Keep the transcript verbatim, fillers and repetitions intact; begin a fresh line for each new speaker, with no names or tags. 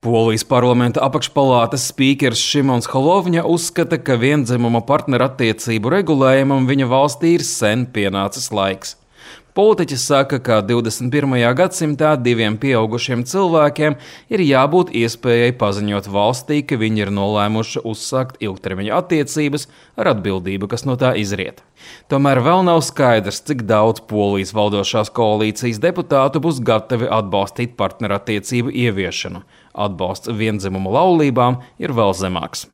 Polijas parlamenta apakšpalātas spīkers Šimons Holovņa uzskata, ka viendzimuma partnerattiecību regulējumam viņa valstī ir sen pienācis laiks. Politiķis saka, ka divdesmit pirmajā gadsimtā diviem pieaugušiem cilvēkiem ir jābūt iespējai paziņot valstī, ka viņi ir nolēmuši uzsākt ilgtermiņa attiecības ar atbildību, kas no tā izriet. Tomēr vēl nav skaidrs, cik daudz Polijas valdošās koalīcijas deputātu būs gatavi atbalstīt partnerattiecību ieviešanu. Atbalsts viendzimumu laulībām ir vēl zemāks.